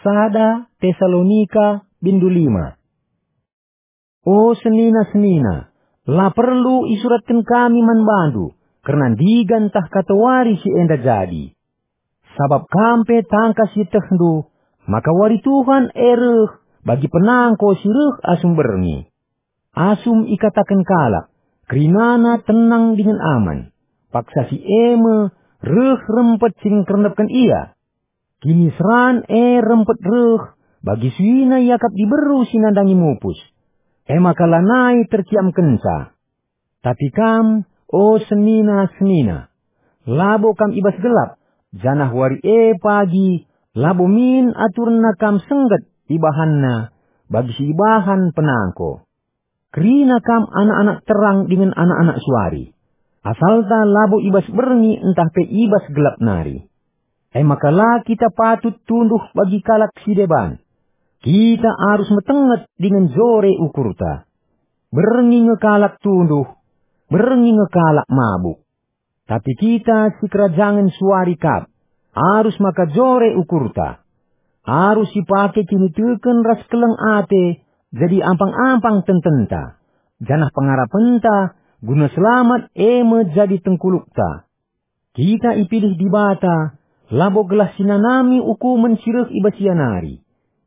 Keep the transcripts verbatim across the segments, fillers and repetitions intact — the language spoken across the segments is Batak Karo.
sada Tesalonika bindu lima. O senina-senina, la perlu isuratken kami man bandu kerna ndigan ntah katawari si enda jadi. Sabap kam pe tangkas ietehndu maka wari Tuhan e reh bagi penangko si reh asum berngi. Asum ikataken kalak, "Kerinana tenang dingen aman," paksa si e me reh rempet si ngkernepken ia. Kiniseran e rempet reh bagi suina iakap diberu si nandangi mupus, e maka lanai terkiamkenca. Tapi kam, o senina-senina, labo kam i bas gelap, janah wari e pagi labo min aturenna kam sengget ibahanna bagi si ibahan penangko. Kerina kam anak-anak terang dingen anak-anak suari. Asalta labo i bas berngi ntah pe i bas gelap nari. E maka la kita patut tunduh bagi kalak si deban. Kita arus metenget dingen jore ukurta. Berngi nge kalak tunduh, berngi nge kalak mabuk. Tapi kita si kerajangen suari kap, arus maka jore ukurta. Arus sipake kiniteken ras keleng ate jadi ampang-ampang tententa, janah pengarapenta guna selamat e me jadi tengkulukta. Kita ipilih Dibata labo gelah sinanami ukumen si reh i bas ia nari,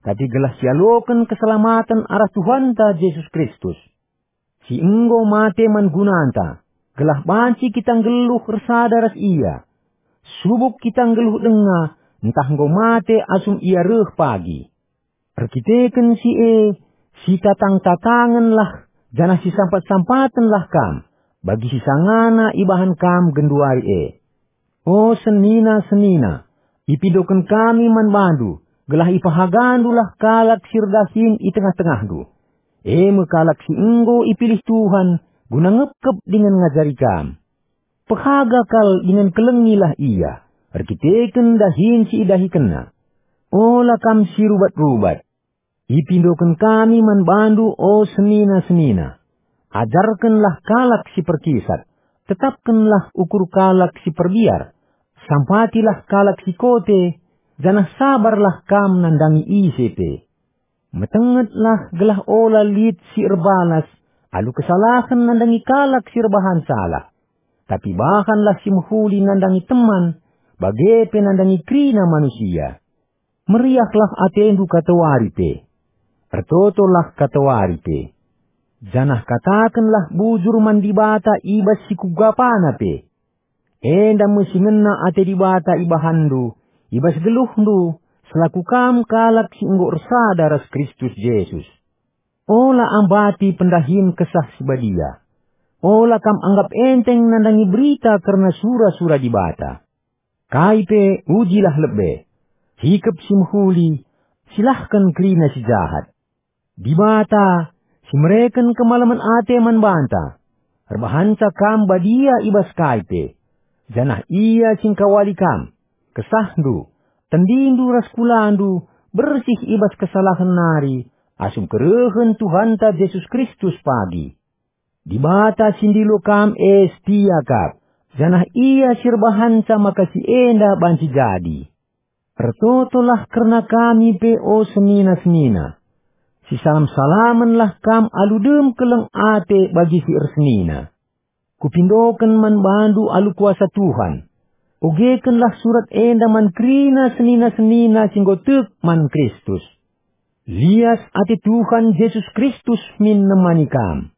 tapi gelah sialoken keselamaten arah Tuhanta Jesus Kristus, si enggo mate man gunanta, gelah banci kita nggeluh ersada ras Ia. Subuk kita nggeluh denga, ntah enggo mate asum Ia reh pagi. Erkiteken si e, sitatang-tatangenlah janah sisampat-sampatenlah kam, bagi si sangana ibahan kam genduari e. O senina-senina, ipindoken kami man bandu, gelah ipehagandulah kalak si erdahin i tengah-tengahndu, e me kalak si enggo ipilih Tuhan guna ngepkep dingen ngajari kam. Pehaga kal dingen kelengilah ia, erkiteken dahin si idahikenna. Ola kam si rubat-rubat. Ipindoken kami man bandu, o senina-senina. Ajarkenlah kalak si perkisat, tetapkenlah ukur kalak si perbiar, sampatilah kalak si kote, janah sabarlah kam nandangi ise pe. Metengetlah gelah ola lit si erbalas alu kesalahen nandangi kalak si erbahan salah, tapi bahanlah si mehuli nandangi teman, bage pe nandangi kerina manusia. Meriahlah atendu katawari pe. Ertotolah katawari pe. Janah katakenlah bujur man Dibata i bas si kugapana pe. Enda me si ngena ate Dibata ibahanndu, i bas geluhndu, selaku kam kalak si enggo ersada ras Kristus Jesus. Ola ambati pendahin Kesah Si Badia. Ola kam anggap enteng nandangi berita kerna sura-sura Dibata. Kai pe, ujilah lebe. Hikep si mehuli, silahken kerina si jahat. Dibata, si mereken kemalemen ate man banta, erbahanca kam badia i bas kai pe, janah Ia si ngkawali kam. Kesahndu, tendindu ras kulandu bersih i bas kesalahen nari, asum kerehen Tuhanta Jesus Kristus pagi. Dibata si ndilo kam e setia kap, janah Ia si erbahanca maka si enda banci jadi. Ertotolah kerna kami pe, o senina-senina. Sisalam-salamenlah kam alu dem keleng ate bagi si ersenina. Kupindoken man bandu alu kuasa Tuhan. Ogekenlah surat enda man kerina senina-senina si enggo tek man Kristus. Lias ate Tuhan Jesus Kristus min nemani kam.